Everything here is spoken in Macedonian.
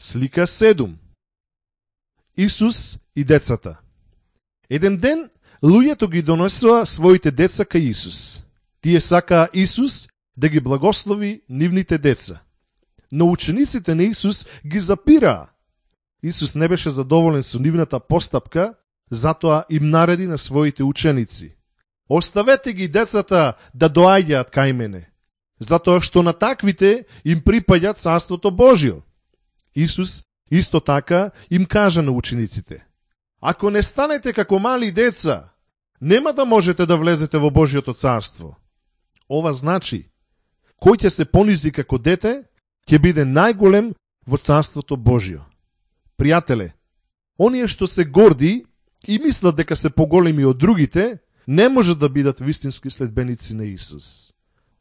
Слика 7. Исус и децата. Еден ден, луѓето ги донесоа своите деца кај Исус. Тие сакаа Исус да ги благослови нивните деца. Но учениците на Исус ги запираа. Исус не беше задоволен со нивната постапка, затоа им нареди на своите ученици: оставете ги децата да доаѓаат кај мене, затоа што на таквите им припаѓа Царството Божјо. Исус исто така им кажа на учениците: ако не станете како мали деца, нема да можете да влезете во Божјото царство. Ова значи, кој ќе се понизи како дете, ќе биде најголем во Царството Божјо. Пријателе, оние што се горди и мислат дека се поголеми од другите, не може да бидат вистински следбеници на Исус.